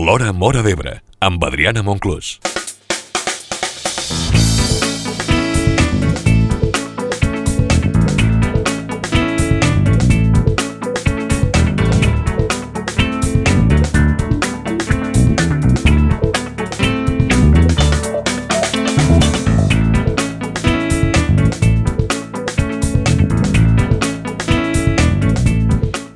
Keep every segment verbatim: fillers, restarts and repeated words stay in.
L'Hora Móra d'Ebre, amb Adriana Monclús.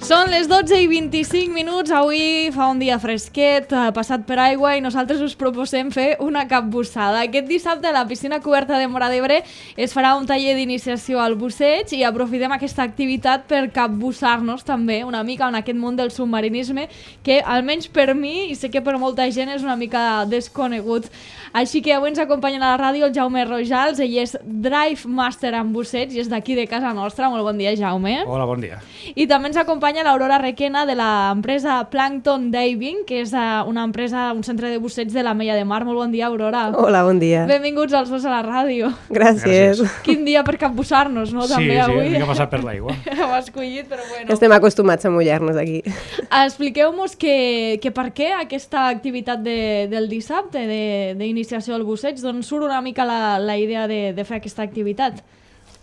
Són les dotze i vint-i-cinc minuts, avui fa un dia fresquet, passat per aigua i nosaltres us proposem fer una capbussada. Aquest dissabte a la piscina coberta de Móra d'Ebre es farà un taller d'iniciació al busseig i aprofitem aquesta activitat per capbussar-nos també una mica en aquest món del submarinisme que almenys per mi i sé que per molta gent és una mica desconegut. Així que avui ens acompanya a la ràdio el Jaume Rojals, ell és Drive Master en busseig i és d'aquí de casa nostra. Molt bon dia, Jaume. Hola, bon dia. I també ens acompanya l'Aurora Requena de l'empresa Plankton Diving, que és una empresa, un centre de busseig de l'Ametlla de Mar. Molt bon dia, Aurora. Hola, bon dia. Benvinguts als dos a la ràdio. Gràcies. Gràcies. Quin dia per capbussar-nos, no? Sí, també sí, avui. hem de passar per l'aigua. Ho has escollit, però bueno. Estem acostumats a mullar-nos aquí. Expliqueu-nos que, que per què aquesta activitat de, del dissabte d'iniciació al busseig, d'on surt una mica la, la idea de, de fer aquesta activitat?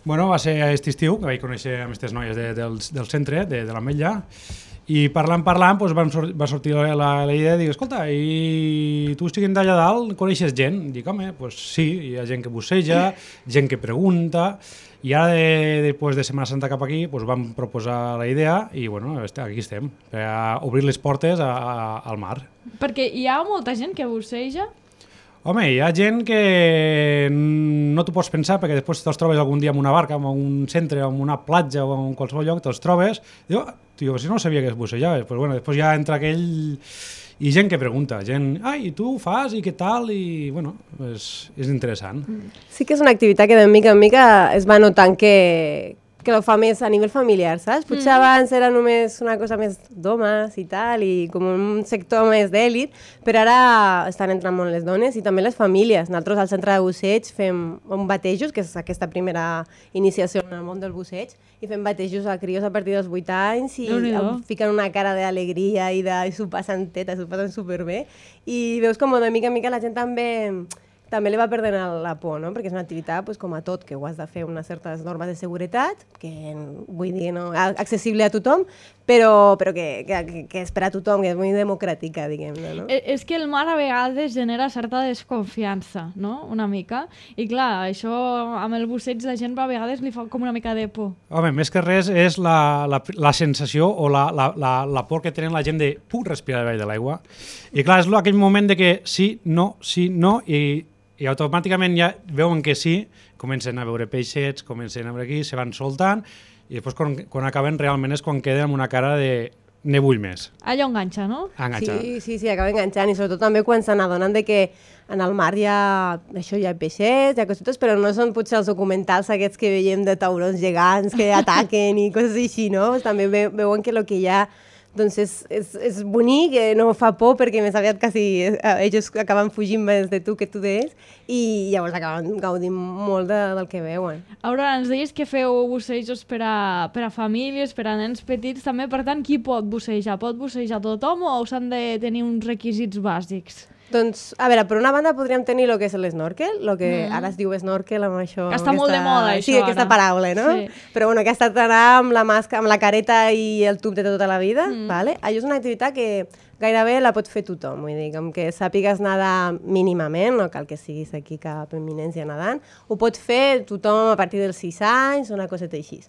Bueno, va ser aquest estiu que vaig conèixer amb aquestes noies de, del, del centre, de, de l'Ametlla, i parlant, parlant, doncs vam sor va sortir la, la, la idea de dir, escolta, i tu estiguent d'allà dalt, coneixes gent? Dic, home, doncs sí, hi ha gent que busseja, gent que pregunta, i ara, de, després de Setmana Santa cap aquí, doncs vam proposar la idea i, bueno, aquí estem, per obrir les portes a, a, al mar. Perquè hi ha molta gent que busseja? Home, hi ha gent que no t'ho pots pensar perquè després te'ls trobes algun dia en una barca, en un centre, en una platja o en qualsevol lloc, te'ls trobes i dius, tio, si no sabia que es bussejaves. Pues bueno, després ja entra aquell... I gent que pregunta, gent, ai, i tu ho fas i què tal? I, bueno, és, és interessant. Sí que és una activitat que de mica en mica es va notant que, que ho fa més a nivell familiar, saps? Potser mm. abans era només una cosa més d'homes i tal, i com un sector més d'èlit, però ara estan entrant molt les dones i també les famílies. Nosaltres al centre de busseig fem un batejos, que és aquesta primera iniciació en el món del busseig, i fem batejos a crios a partir dels vuit anys i fiquen una cara d'alegria i de s'ho passen teta, s'ho passen superbé. I veus com de mica en mica la gent també... també li va perdent la por, no? Perquè és una activitat pues, com a tot, que ho has de fer unes certes normes de seguretat, que vull dir, no, accessible a tothom, però, però que, que, que és per a tothom, que és molt democràtica, diguem-ne. No? És que el mar a vegades genera certa desconfiança, no? Una mica. I clar, això amb el busseig la gent a vegades li fa com una mica de por. Home, més que res és la, la, la sensació o la, la, la, la por que tenen la gent de puc respirar davall de l'aigua. I clar, és aquell moment de que sí, no, sí, no, i i automàticament ja veuen que sí, comencen a veure peixets, comencen a veure aquí, se van soltant, i després quan, quan acaben realment és quan queden amb una cara de ne vull més. Allò enganxa, no? Enganxa. Sí, sí, sí, acaba enganxant, i sobretot també quan se n'adonen de que en el mar hi ha, això, hi ha peixets, hi ha cosetes, però no són potser els documentals aquests que veiem de taurons gegants que ataquen i coses així, no? També ve, veuen que el que hi ha doncs és, és, és bonic, no fa por perquè més aviat quasi eh, ells acaben fugint més de tu que tu d'ells i llavors acaben gaudint molt de, del que veuen. Aurora, ens deies que feu bussejos per a, per a famílies, per a nens petits també, per tant, qui pot bussejar? Pot bussejar tothom o s'han de tenir uns requisits bàsics? Doncs, a veure, per una banda podríem tenir el que és l'esnorkel, el que mm. ara es diu snorkel amb això... Que està aquesta, molt de moda, això, sí, ara. Aquesta paraula, no? Sí. Però bueno, que ha estat anar amb la màscara, amb la careta i el tub de tota la vida, mm. vale? Això és una activitat que gairebé la pot fer tothom, vull dir, com que sàpigues nedar mínimament, no cal que siguis aquí cap eminència nedant, ho pot fer tothom a partir dels sis anys, una coseta així.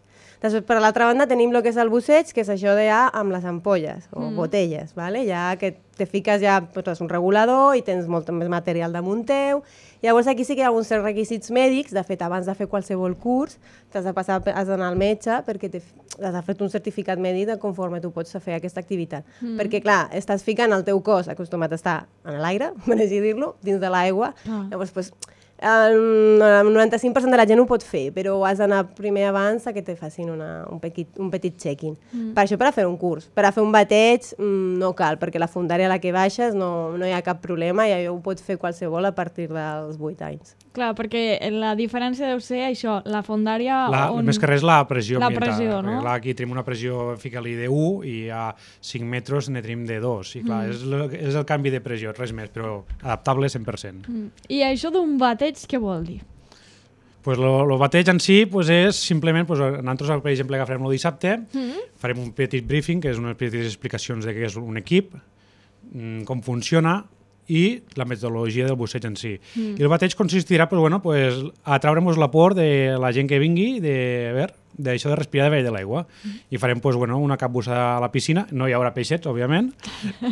Després, per l'altra banda, tenim el que és el busseig, que és això de ja amb les ampolles o mm. botelles, vale? Ja que te fiques ja pues, un regulador i tens molt més material damunt teu. Llavors aquí sí que hi ha alguns certs requisits mèdics. De fet, abans de fer qualsevol curs, t'has de passar, has d'anar al metge perquè has de fer un certificat mèdic de conforme tu pots fer aquesta activitat. Mm. Perquè, clar, estàs ficant el teu cos acostumat a estar en l'aire, per així dir-lo, dins de l'aigua. Ah. Llavors, pues, el noranta-cinc per cent de la gent ho pot fer, però has d'anar primer abans a que te facin una, un, petit, un petit check-in. Mm. Per això, per a fer un curs. Per a fer un bateig no cal, perquè la fundària a la que baixes no, no hi ha cap problema i ho pot fer qualsevol a partir dels vuit anys. Clar, perquè la diferència deu ser això, la fondària... La, on... Més que res la pressió la ambiental. Pressió, no? Clar, aquí tenim una pressió, fica-li de u i a cinc metres ne tenim de dos. I clar, mm. és, el, és el canvi de pressió, res més, però adaptable cent per cent. Mm. I això d'un bateig, què vol dir? Pues lo, lo bateig en si pues és simplement, pues, nosaltres per exemple agafarem el dissabte, mm. farem un petit briefing, que és unes petites explicacions de què és un equip, com funciona, i la metodologia del busseig en si. Mm. I el bateig consistirà pues, bueno, pues, a traure'ns la por de la gent que vingui, de, a veure, d'això de respirar de de l'aigua. Mm. I farem pues, bueno, una capbussada a la piscina. No hi haurà peixets, òbviament,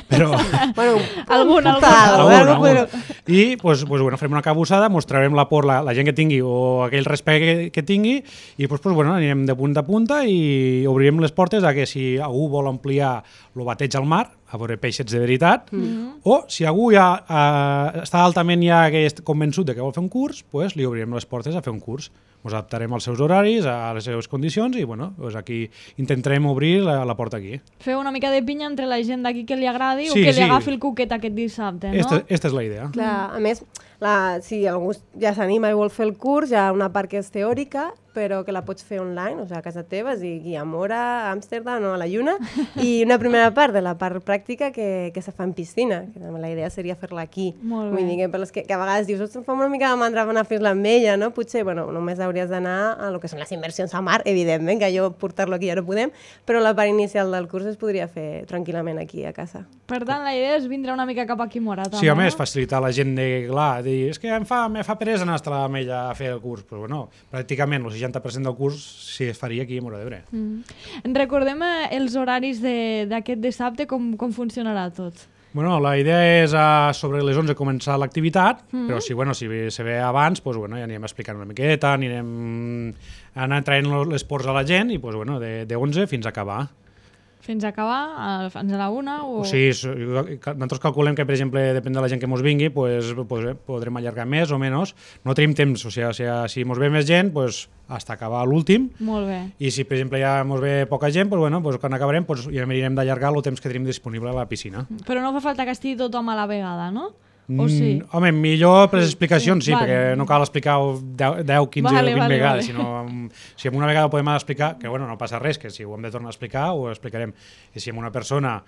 però... bueno, algun, algun. algun, algun, algun. I pues, pues, bueno, farem una capbussada, mostrarem la por la, la gent que tingui o aquell respecte que, que tingui i pues, pues, bueno, anirem de punta a punta i obrirem les portes a que si algú vol ampliar el bateig al mar, a veure peixets de veritat, mm. o si algú ja eh, està altament ja que és convençut de que vol fer un curs, pues, li obrirem les portes a fer un curs. Ens adaptarem als seus horaris, a les seves condicions i bueno, pues aquí intentarem obrir la, la porta aquí. Fer una mica de pinya entre la gent d'aquí que li agradi sí, o que sí. li agafi el cuquet aquest dissabte, no? Esta, esta és la idea. Clar, a més, la, si algú ja s'anima i vol fer el curs, hi ha una part que és teòrica, però que la pots fer online, o sigui, a casa teva, sigui a Mora, a Amsterdam o a la Lluna, i una primera part de la part pràctica que, que se fa en piscina, que la idea seria fer-la aquí. Molt bé. Vull dir que, per les que, que a vegades dius, ostres, em fa una mica de mandra anar a fer-la amb ella, no? Potser, bueno, només hauries d'anar a lo que són les inversions a mar, evidentment, que allò portar-lo aquí ja no podem, però la part inicial del curs es podria fer tranquil·lament aquí a casa. Per tant, la idea és vindre una mica cap aquí a Mora, també, sí, a més, no? facilitar la gent de, clar, de dir, és que em fa, me fa peresa anar a l'Ametlla a fer el curs, però bueno, pràcticament el seixanta per cent del curs sí es faria aquí a Móra d'Ebre. Mm. Recordem eh, els horaris d'aquest de, dissabte, com, com funcionarà tot? Bueno, la idea és a, sobre les onze començar l'activitat, mm. però si, bueno, si se ve abans, pues, bueno, ja anirem explicant una miqueta, anirem anar traient les ports a la gent i pues, bueno, de, de onze fins a acabar. Fins a acabar? Fins a la una? O... O sigui, nosaltres calculem que, per exemple, depèn de la gent que ens vingui, pues, pues, podrem allargar més o menys. No tenim temps, o sigui, si, si ens ve més gent, pues, fins a acabar l'últim. Molt bé. I si, per exemple, ja ens ve poca gent, pues, bueno, pues, quan acabarem pues, ja anirem d'allargar el temps que tenim disponible a la piscina. Però no fa falta que estigui tothom a la vegada, no? O sí? Mm, home, millor per les explicacions sí, vale. Perquè no cal explicar deu, quinze, vale, vint vale, vegades, vale. sinó si amb una vegada podem explicar, que bueno, no passa res, que si ho hem de tornar a explicar, ho explicarem. I si amb una persona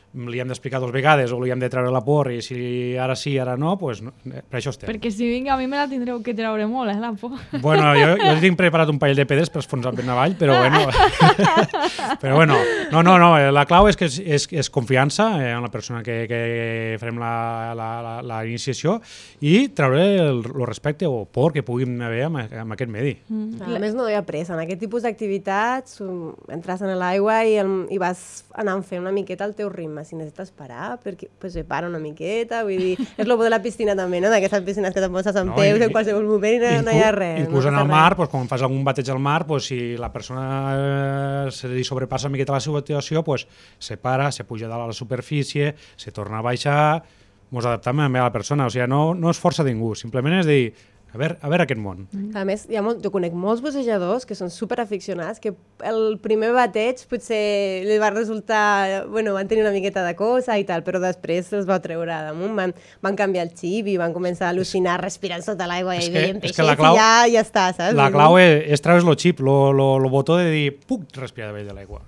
li hem d'explicar dues vegades o li hem de treure la por i si ara sí, ara no, pues no, per això estem. Perquè si vinc a mi me la tindreu que treure molt, eh, la por. Bueno, jo, jo tinc preparat un parell de pedres per esfonsar ben avall, però bueno, però bueno, no, no, no, la clau és que és, és, és confiança eh, en la persona que, que farem la, la, la, la iniciació i treure el, el respecte o por que puguin haver amb, amb aquest medi. Mm. A més, no hi ha pressa. En aquest tipus d'activitats entres en l'aigua i, el, i vas anant fent una miqueta el teu ritme. Si necessites parar, perquè, pues, se para una miqueta, vull dir, és el bo de la piscina també, no? D'aquestes piscines que te poses en no, peus i, en qualsevol moment i no, no hi ha res. Inclús no en el mar, pues, quan fas algun bateig al mar, pues, si la persona eh, se li sobrepassa una miqueta la situació, pues, se para, se puja dalt a la superfície, se torna a baixar, ens adaptem a la persona, o sigui, no, no és força ningú, simplement és dir, a veure, a veure aquest món. A més, hi ha molt, jo conec molts bussejadors que són superaficionats, que el primer bateig potser li va resultar, bueno, van tenir una miqueta de cosa i tal, però després els va treure damunt, van, van canviar el xip i van començar a al·lucinar respirant sota l'aigua i veient peixets i ja, ja està, saps? La clau és, és treure's el xip, el botó de dir, puc respirar davall de l'aigua.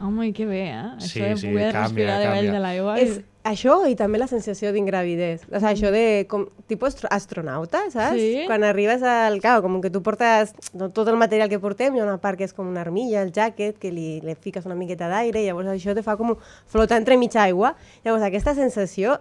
Home, que bé, eh? Sí, això de sí, poder canvia, respirar davall de l'aigua. És això i també la sensació d'ingravidez. O sigui, això de com, tipus astronauta, saps? Sí. Quan arribes al... Clar, com que tu portes no, tot el material que portem, hi ha una part que és com una armilla, el jacket, que li, li fiques una miqueta d'aire, i llavors això te fa com flotar entre mitja aigua. Llavors aquesta sensació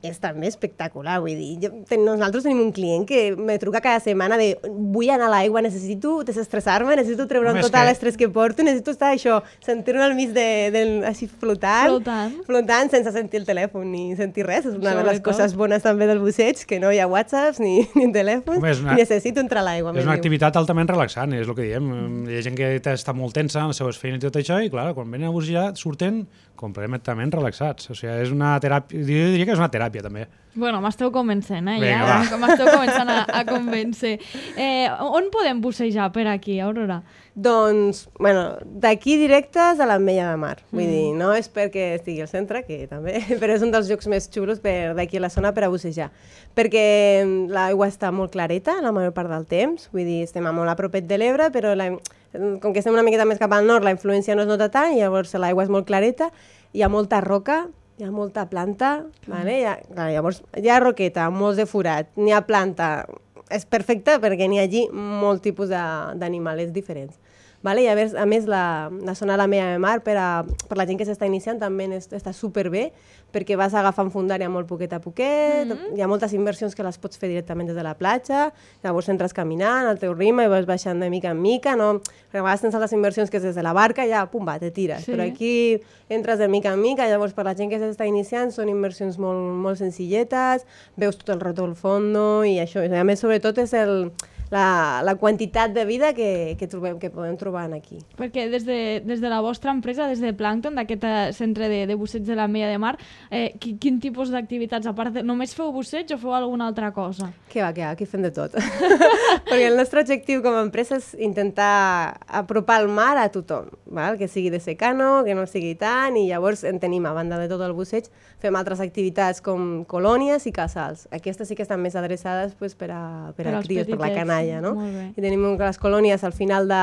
és també espectacular, vull dir, jo, ten, nosaltres tenim un client que me truca cada setmana de vull anar a l'aigua, necessito desestressar-me, necessito treure'm tot que... l'estrès que porto, necessito estar això, sentir-me al mig de, de, així flotant, flotant, flotant sense sentir el telèfon ni sentir res, és una Sobretot. de les coses bones també del busseig, que no hi ha whatsapps ni, ni telèfons, Home, una... necessito entrar a l'aigua. És una activitat altament relaxant, és el que diem, mm. hi ha gent que està molt tensa en les seves feines i tot això, i clar, quan venen a bussejar surten completament relaxats, o sigui, és una teràpia, jo diria que és una teràpia, teràpia, també. Bueno, m'esteu convencent, eh? Vinga, ja, va. m'esteu començant a, a convèncer. Eh, on podem bussejar per aquí, Aurora? Doncs, bueno, d'aquí directes a l'Ametlla de Mar. Vull mm. dir, no és perquè estigui al centre, que també, però és un dels llocs més xulos per d'aquí a la zona per a bussejar. Perquè l'aigua està molt clareta la major part del temps, vull dir, estem molt a propet de l'Ebre, però la, com que estem una miqueta més cap al nord, la influència no es nota tant, i llavors l'aigua és molt clareta, hi ha molta roca, hi ha molta planta, vale? Hi ha, clar, llavors hi ha roqueta, molts de forat, n'hi ha planta, és perfecte perquè n'hi ha allí molt tipus d'animals diferents. Vale? I a més, a més la, la zona de l'Ametlla de Mar, per, a, per la gent que s'està iniciant, també és, està superbé, perquè vas agafant fondària molt poquet a poquet, mm-hmm. hi ha moltes inversions que les pots fer directament des de la platja, llavors entres caminant al teu ritme i vas baixant de mica en mica, no? Perquè a vegades tens les inversions que és des de la barca i ja, pum, va, te tires. Sí. Però aquí entres de mica en mica, llavors per la gent que s'està iniciant són inversions molt, molt senzilletes, veus tot el rato al fondo i això. I a més, sobretot, és el... La, la quantitat de vida que, que, trobem, que podem trobar aquí. Perquè des de, des de la vostra empresa, des de Plankton, d'aquest centre de, de busseig de l'Ametlla de Mar, eh, quin, quin tipus d'activitats, a part de... Només feu busseig o feu alguna altra cosa? Que va, que va, aquí fem de tot. Perquè el nostre objectiu com a empresa és intentar apropar el mar a tothom, val? Que sigui de secano, que no sigui tant, i llavors en tenim, a banda de tot el busseig, fem altres activitats com colònies i casals. Aquestes sí que estan més adreçades pues, per a, per per a cries, per la canalla. No? I tenim les colònies al final de...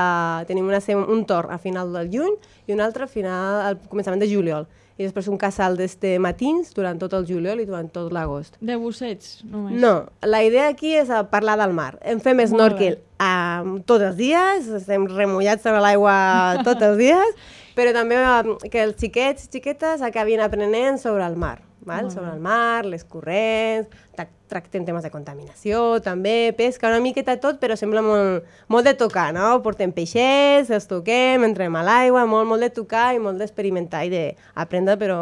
Tenim una, un torn a final del juny i un altre al final, al començament de juliol. I després un casal d'este matins durant tot el juliol i durant tot l'agost. De busseig, només? No, la idea aquí és parlar del mar. En fem snorkel um, tots els dies, estem remullats a l'aigua tots els dies, però també um, que els xiquets i xiquetes acabin aprenent sobre el mar. Val? Sobre el mar, les corrents, tractem temes de contaminació, també, pesca, una miqueta tot, però sembla molt, molt de tocar, no? Portem peixets, els toquem, entrem a l'aigua, molt, molt de tocar i molt d'experimentar i d'aprendre, però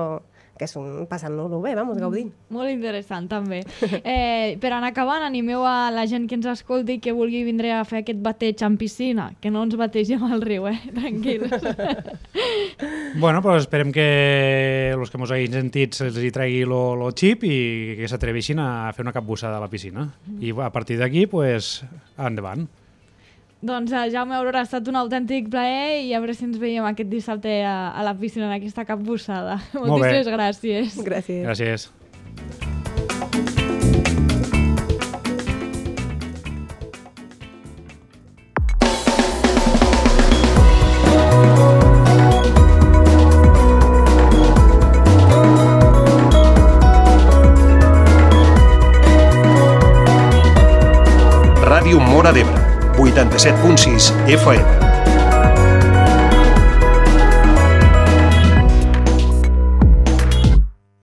que és un passant-nos-ho bé, vamos, gaudint. Molt interessant, també. Eh, per anar acabant, animeu a la gent que ens escolti que vulgui vindre a fer aquest bateig en piscina, que no ens bategem al riu, eh? Tranquils. Bueno, però esperem que els que ens hagin sentit se'ls hi tregui el xip i que s'atreveixin a fer una capbussada a la piscina. I a partir d'aquí, pues, endavant. Doncs uh, Jaume Aurora, ha estat un autèntic plaer i a veure si ens veiem aquest dissabte a, a la piscina en aquesta capbussada. Moltíssimes gràcies. Gràcies. Gràcies. Ràdio Móra d'Ebre, vuitanta-set punt sis F M.